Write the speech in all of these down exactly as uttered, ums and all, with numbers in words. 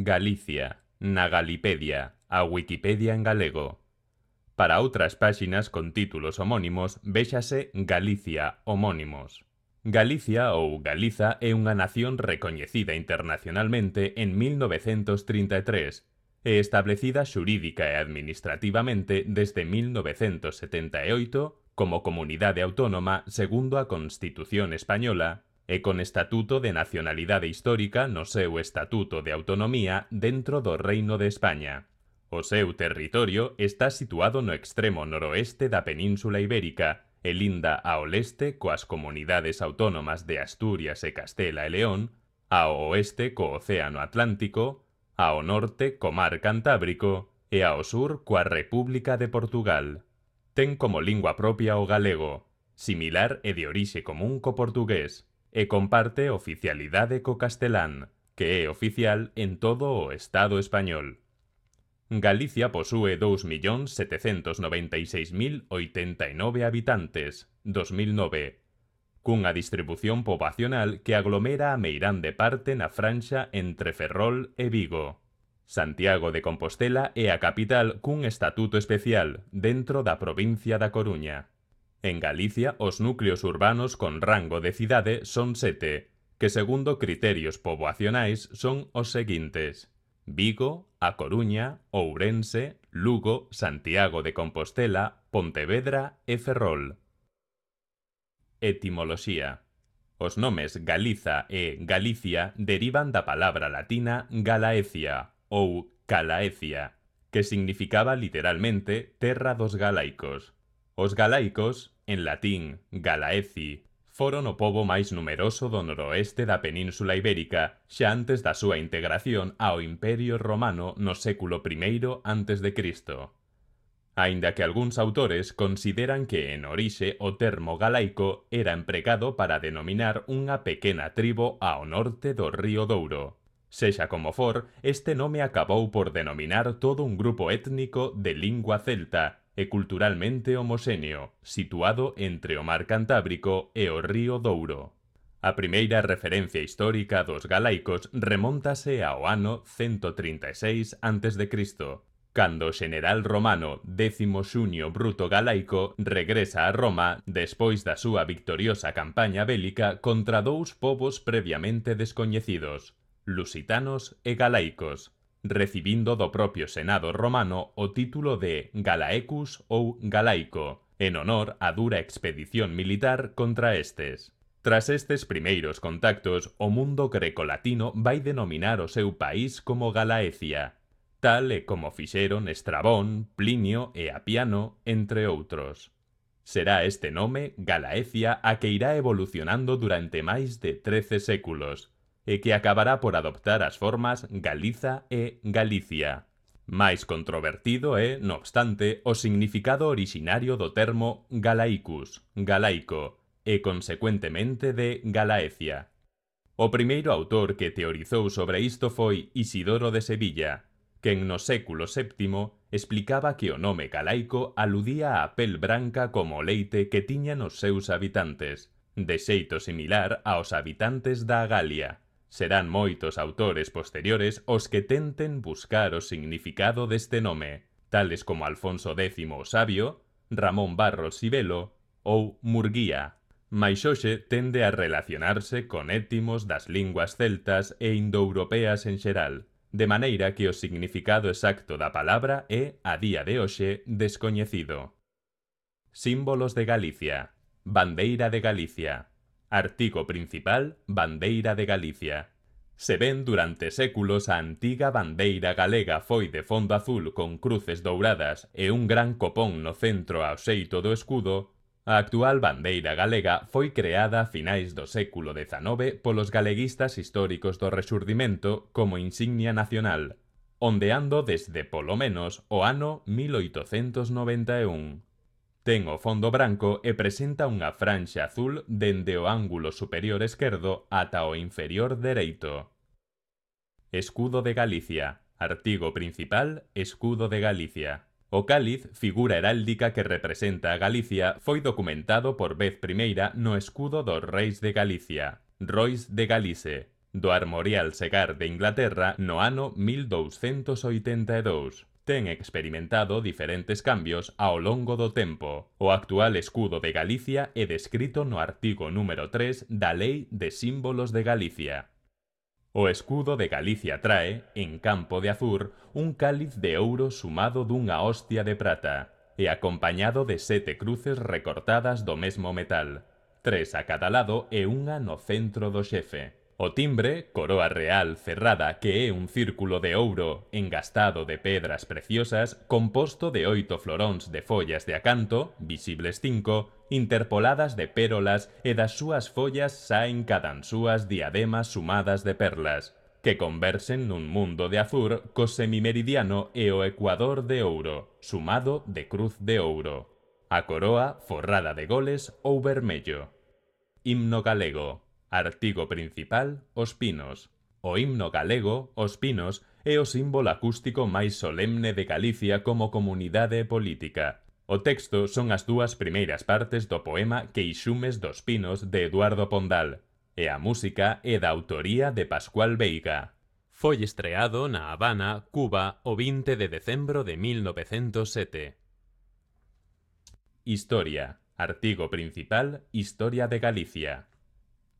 Galicia, na Galipedia, a Wikipedia en galego. Para outras páxinas con títulos homónimos, véxase Galicia homónimos. Galicia ou Galiza é unha nación recoñecida internacionalmente en mil novecentos trinta e tres e establecida xurídica e administrativamente desde mil novecentos setenta e oito como comunidade autónoma segundo a Constitución española e con Estatuto de Nacionalidade Histórica no seu Estatuto de Autonomía dentro do Reino de España. O seu territorio está situado no extremo noroeste da Península Ibérica e linda ao leste coas comunidades autónomas de Asturias e Castela e León, ao oeste co Océano Atlántico, ao norte co Mar Cantábrico e ao sur coa República de Portugal. Ten como lingua propia o galego, similar e de orixe común co portugués, e comparte oficialidade co castelán, que é oficial en todo o Estado español. Galicia posúe dous millóns setecentos noventa e seis mil oitenta e nove habitantes, dos mil nove, cunha distribución poboacional que aglomera a meirande parte na franxa entre Ferrol e Vigo. Santiago de Compostela é a capital cun estatuto especial dentro da provincia da Coruña. En Galicia, os núcleos urbanos con rango de cidade son sete, que segundo criterios poboacionais son os seguintes: Vigo, A Coruña, Ourense, Lugo, Santiago de Compostela, Pontevedra e Ferrol. Etimoloxía. Os nomes Galiza e Galicia derivan da palabra latina Galaecia ou Calaecia, que significaba literalmente terra dos galaicos. Os galaicos, en latín Galaeci, foron o pobo máis numeroso do noroeste da Península Ibérica xa antes da súa integración ao Imperio Romano no século primeiro antes de Cristo. Aínda que algúns autores consideran que en orixe o termo galaico era empregado para denominar unha pequena tribo ao norte do río Douro. Sexa como for, este nome acabou por denominar todo un grupo étnico de lingua celta e culturalmente homoxéneo, situado entre o Mar Cantábrico e o río Douro. A primeira referencia histórica dos galaicos remóntase ao ano cento trinta e seis antes de Cristo, cando o xeneral romano Décimo Xunio Bruto Galaico regresa a Roma despois da súa victoriosa campaña bélica contra dous povos previamente descoñecidos, lusitanos e galaicos, recibindo do propio Senado romano o título de Galaecus ou Galaico, en honor á dura expedición militar contra estes. Tras estes primeiros contactos, o mundo grecolatino vai denominar o seu país como Galaecia, tal e como fixeron Estrabón, Plinio e Apiano, entre outros. Será este nome, Galaecia, a que irá evolucionando durante máis de trece séculos, e que acabará por adoptar as formas Galiza e Galicia. Máis controvertido é, no obstante, o significado orixinario do termo Galaicus, galaico, e consecuentemente de Galaecia. O primeiro autor que teorizou sobre isto foi Isidoro de Sevilla, quen no século séptimo explicaba que o nome galaico aludía á pel branca como o leite que tiñan os seus habitantes, de xeito similar aos habitantes da Galia. Serán moitos autores posteriores os que tenten buscar o significado deste nome, tales como Alfonso décimo o Sabio, Ramón Barros Sivelo ou Murguía, mais hoxe tende a relacionarse con étimos das linguas celtas e indoeuropeas en xeral, de maneira que o significado exacto da palabra é, a día de hoxe, descoñecido. Símbolos de Galicia. Bandeira de Galicia. Artigo principal, Bandeira de Galicia. Se ben durante séculos a antiga bandeira galega foi de fondo azul con cruces douradas e un gran copón no centro ao xeito do escudo, a actual bandeira galega foi creada a finais do século dezanove polos galeguistas históricos do Rexurdimento como insignia nacional, ondeando desde polo menos o ano mil oitocentos noventa e un. Ten o fondo branco e presenta unha franxa azul dende o ángulo superior esquerdo ata o inferior dereito. Escudo de Galicia. Artigo principal, Escudo de Galicia. O cáliz, figura heráldica que representa a Galicia, foi documentado por vez primeira no escudo dos reis de Galicia, Rois de Galice, do Armorial Segar de Inglaterra no ano mil douscentos oitenta e dous. Ten experimentado diferentes cambios ao longo do tempo. O actual escudo de Galicia é descrito no artigo número tres da Lei de Símbolos de Galicia. O escudo de Galicia trae, en campo de azur, un cáliz de ouro sumado dunha hostia de prata, e acompañado de sete cruces recortadas do mesmo metal, tres a cada lado e unha no centro do xefe. O timbre, coroa real cerrada, que é un círculo de ouro engastado de pedras preciosas, composto de oito floróns de follas de acanto, visibles cinco, interpoladas de pérolas, e das súas follas saen cadansúas diademas sumadas de perlas, que conversen nun mundo de azur co semimeridiano e o ecuador de ouro, sumado de cruz de ouro. A coroa forrada de goles ou vermello. Himno galego. Artigo principal, os pinos. O himno galego, os pinos, é o símbolo acústico máis solemne de Galicia como comunidade política. O texto son as dúas primeiras partes do poema Queixumes dos Pinos de Eduardo Pondal, e a música é da autoría de Pascual Veiga. Foi estreado na Habana, Cuba, o vinte de decembro de mil novecentos sete. Historia. Artigo principal, Historia de Galicia.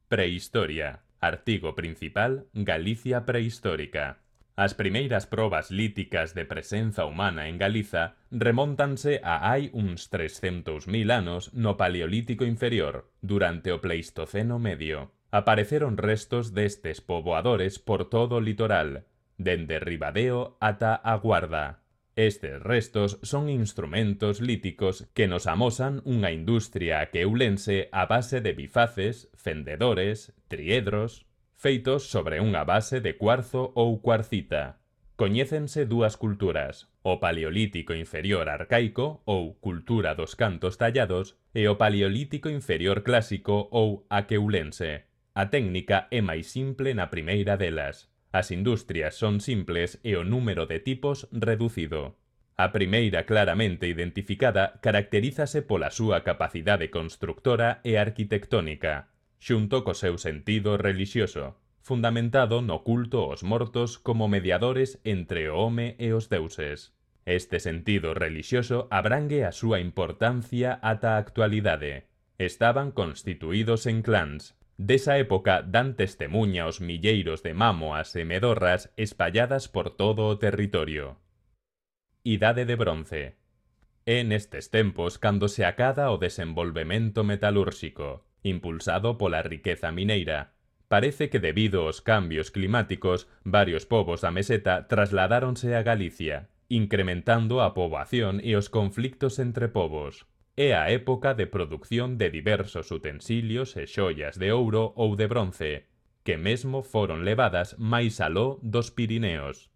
Prehistoria. Artigo principal, Galicia prehistórica. As primeiras probas líticas de presenza humana en Galiza remóntanse a hai uns trescentos mil anos no Paleolítico inferior, durante o Pleistoceno medio. Apareceron restos destes poboadores por todo o litoral, dende Ribadeo ata a Guarda. Estes restos son instrumentos líticos que nos amosan unha industria aqueulense a base de bifaces, fendedores, triedros, feitos sobre unha base de cuarzo ou cuarcita. Coñécense dúas culturas, o Paleolítico inferior arcaico ou cultura dos cantos tallados e o Paleolítico inferior clásico ou aqueulense. A técnica é máis simple na primeira delas. As industrias son simples e o número de tipos reducido. A primeira claramente identificada caracterízase pola súa capacidade constructora e arquitectónica, xunto co seu sentido relixioso, fundamentado no culto aos mortos como mediadores entre o home e os deuses. Este sentido relixioso abrangue a súa importancia ata a actualidade. Estaban constituídos en clans. Desa época dan testemuña os milleiros de mámoas e medorras espalladas por todo o territorio. Idade de bronce. É nestes tempos cando se acada o desenvolvemento metalúrxico, impulsado pola riqueza mineira. Parece que debido aos cambios climáticos, varios povos da meseta trasladáronse a Galicia, incrementando a poboación e os conflictos entre povos. É a época de produción de diversos utensilios e xoias de ouro ou de bronce, que mesmo foron levadas máis aló dos Pirineos.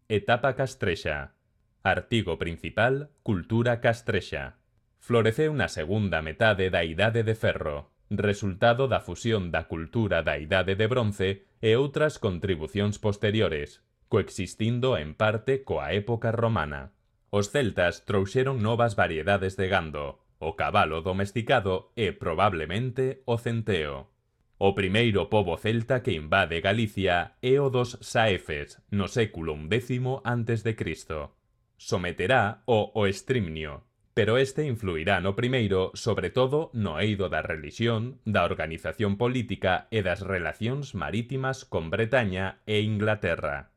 Etapa castrexa. Artigo principal, cultura castrexa. Floreceu na segunda metade da Idade de Ferro, resultado da fusión da cultura da Idade de Bronce e outras contribucións posteriores, coexistindo en parte coa época romana. Os celtas trouxeron novas variedades de gando, o cabalo domesticado e, probablemente, o centeo. O primeiro pobo celta que invade Galicia é o dos saefes, no século undécimo antes de Cristo. Someterá o oestrimnio, pero este influirá no primeiro, sobre todo no eido da relixión, da organización política e das relacións marítimas con Bretaña e Inglaterra.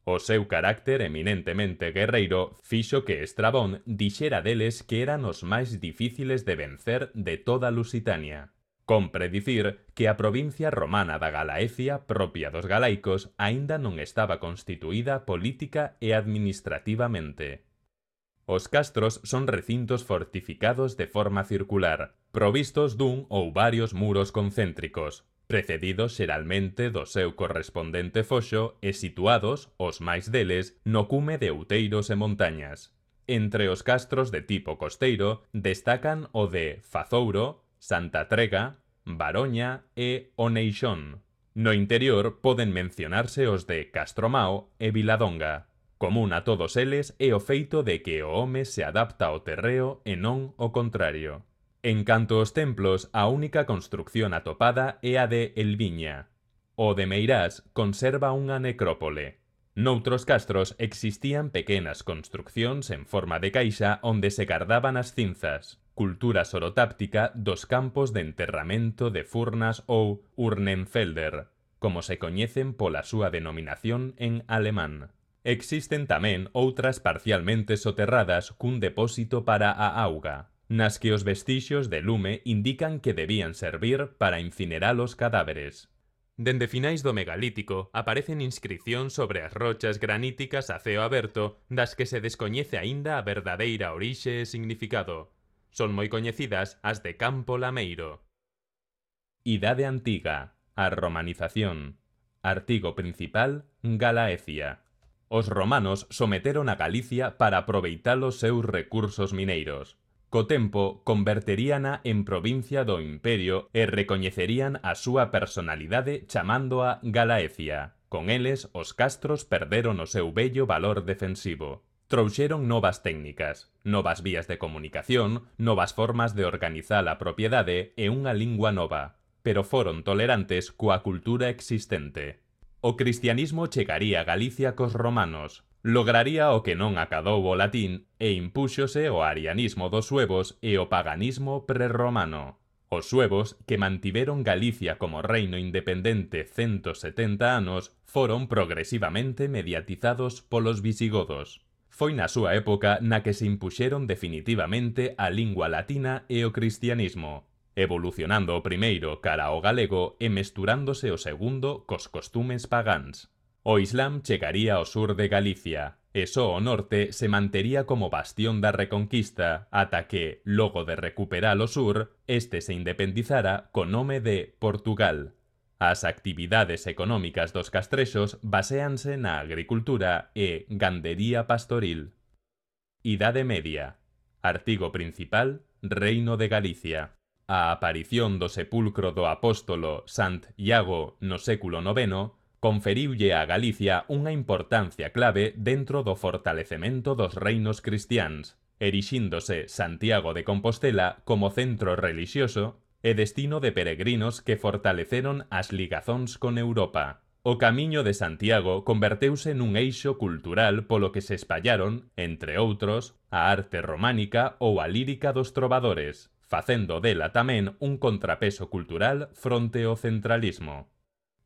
O seu carácter eminentemente guerreiro fixo que Estrabón dixera deles que eran os máis difíciles de vencer de toda Lusitania. Compre dicir que a provincia romana da Galaecia, propia dos galaicos, aínda non estaba constituída política e administrativamente. Os castros son recintos fortificados de forma circular, provistos dun ou varios muros concéntricos, precedidos xeralmente do seu correspondente foxo e situados, os máis deles, no cume de outeiros e montañas. Entre os castros de tipo costeiro destacan o de Fazouro, Santa Trega, Baroña e Oneixón. No interior poden mencionarse os de Castromao e Viladonga. Común a todos eles é o feito de que o home se adapta ao terreo e non o contrario. En canto aos templos, a única construcción atopada é a de Elviña. O de Meirás conserva unha necrópole. Noutros castros existían pequenas construccións en forma de caixa onde se gardaban as cinzas, cultura sorotáptica dos campos de enterramento de Furnas ou Urnenfelder, como se coñecen pola súa denominación en alemán. Existen tamén outras parcialmente soterradas cun depósito para a auga, nas que os vestixios de lume indican que debían servir para incinerar os cadáveres. Dende finais do megalítico aparecen inscricións sobre as rochas graníticas a ceo aberto das que se descoñece aínda a verdadeira orixe e significado. Son moi coñecidas as de Campo Lameiro. Idade Antiga, a romanización. Artigo principal, Galaecia. Os romanos someteron a Galicia para aproveitar os seus recursos mineiros. Co tempo, converteríana en provincia do Imperio e recoñecerían a súa personalidade chamándoa Galaecia. Con eles, os castros perderon o seu bello valor defensivo. Trouxeron novas técnicas, novas vías de comunicación, novas formas de organizar a propiedade e unha lingua nova, pero foron tolerantes coa cultura existente. O cristianismo chegaría a Galicia cos romanos, lograría o que non acadou o latín e impúxose o arianismo dos suevos e o paganismo prerromano. Os suevos, que mantiveron Galicia como reino independente ciento setenta anos, foron progresivamente mediatizados polos visigodos. Foi na súa época na que se impuxeron definitivamente a lingua latina e o cristianismo, evolucionando o primeiro cara ao galego e mesturándose o segundo cos costumes pagáns. O Islam chegaría ao sur de Galicia, e só o norte se mantería como bastión da Reconquista ata que, logo de recuperar o sur, este se independizara co nome de Portugal. As actividades económicas dos castrexos baséanse na agricultura e gandería pastoril. Idade Media. Artigo principal, Reino de Galicia. A aparición do sepulcro do apóstolo Sant Iago no século noveno conferiulle a Galicia unha importancia clave dentro do fortalecemento dos reinos cristiáns, erixíndose Santiago de Compostela como centro relixioso e destino de peregrinos que fortaleceron as ligazóns con Europa. O Camiño de Santiago converteuse nun eixo cultural polo que se espallaron, entre outros, a arte románica ou a lírica dos trovadores, facendo dela tamén un contrapeso cultural fronte ao centralismo.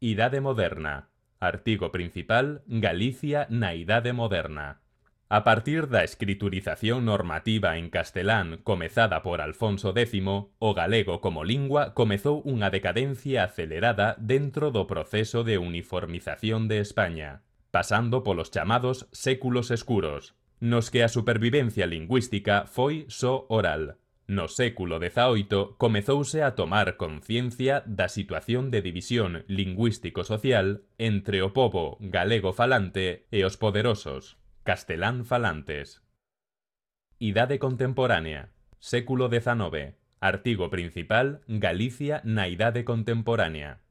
Idade Moderna. Artigo principal, Galicia na Idade Moderna. A partir da escriturización normativa en castelán comezada por Alfonso décimo, o galego como lingua comezou unha decadencia acelerada dentro do proceso de uniformización de España, pasando polos chamados séculos escuros, nos que a supervivencia lingüística foi só oral. No século dezaoito comezouse a tomar conciencia da situación de división lingüístico-social entre o pobo galego falante e os poderosos castelán falantes. Idade contemporánea. Século dezanoveno. Artigo principal, Galicia na Idade contemporánea.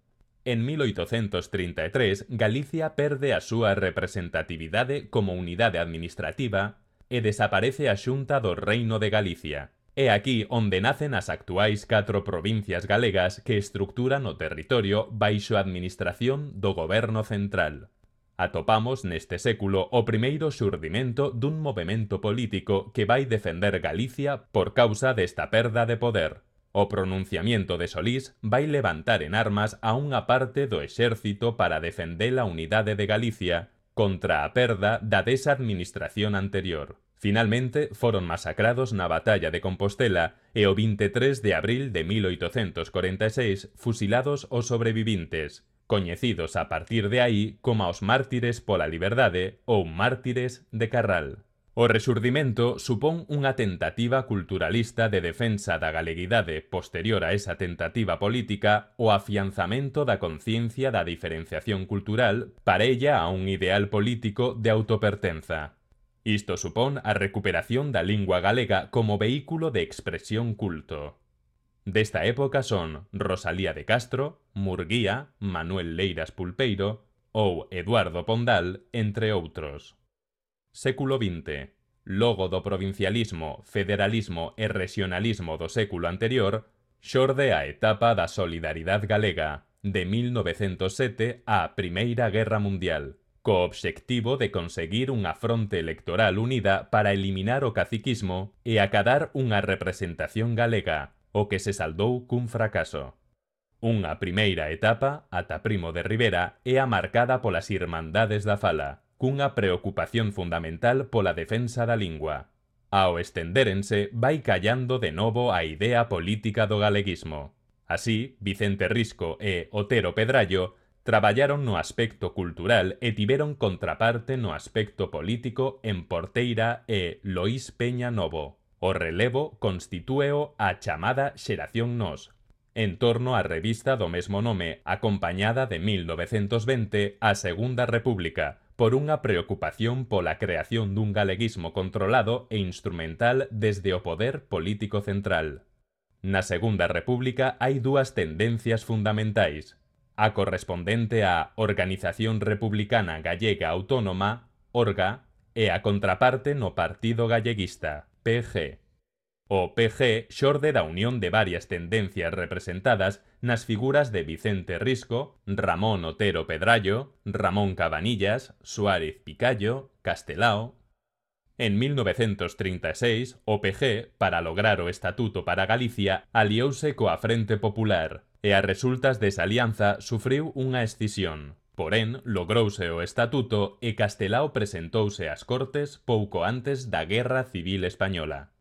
En mil oitocentos trinta e tres, Galicia perde a súa representatividade como unidade administrativa e desaparece a Xunta do Reino de Galicia. É aquí onde nacen as actuais catro provincias galegas que estructuran o territorio baixo a administración do goberno central. Atopamos neste século o primeiro xurdimento dun movemento político que vai defender Galicia por causa desta perda de poder. O pronunciamiento de Solís vai levantar en armas a unha parte do exército para defender a unidade de Galicia contra a perda da desa administración anterior. Finalmente, foron masacrados na Batalla de Compostela e o vinte e tres de abril de mil oitocentos corenta e seis fusilados os sobrevivintes, coñecidos a partir de aí como os mártires pola liberdade ou mártires de Carral. O rexurdimento supón unha tentativa culturalista de defensa da galeguidade posterior a esa tentativa política o afianzamento da conciencia da diferenciación cultural parella a un ideal político de autopertenza. Isto supón a recuperación da lingua galega como vehículo de expresión culto. Desta época son Rosalía de Castro, Murguía, Manuel Leiras Pulpeiro ou Eduardo Pondal, entre outros. Século vinte. Logo do provincialismo, federalismo e regionalismo do século anterior, xorde a etapa da solidaridade galega, de mil novecentos sete á Primeira Guerra Mundial, co obxectivo de conseguir unha fronte electoral unida para eliminar o caciquismo e acadar unha representación galega, o que se saldou cun fracaso. Unha primeira etapa, ata Primo de Rivera, é a marcada polas Irmandades da Fala, cunha preocupación fundamental pola defensa da lingua. Ao estendérense, vai callando de novo a idea política do galeguismo. Así, Vicente Risco e Otero Pedrallo traballaron no aspecto cultural e tiveron contraparte no aspecto político en Porteira e Loís Peña Novo. O relevo constitúeo a chamada Xeración Nós, en torno á revista do mesmo nome, acompañada de mil novecentos vinte a Segunda República, por unha preocupación pola creación dun galeguismo controlado e instrumental desde o poder político central. Na Segunda República hai dúas tendencias fundamentais: a correspondente á Organización Republicana Gallega Autónoma, ORGA, e a contraparte no Partido Galleguista, P G. O P G xorde da unión de varias tendencias representadas nas figuras de Vicente Risco, Ramón Otero Pedrallo, Ramón Cabanillas, Suárez Picallo, Castelao. En mil novecentos trinta e seis, o P G, para lograr o Estatuto para Galicia, aliouse coa Frente Popular, e a resultas desa alianza sufriu unha escisión. Porén, logrouse o Estatuto e Castelao presentouse ás Cortes pouco antes da Guerra Civil Española.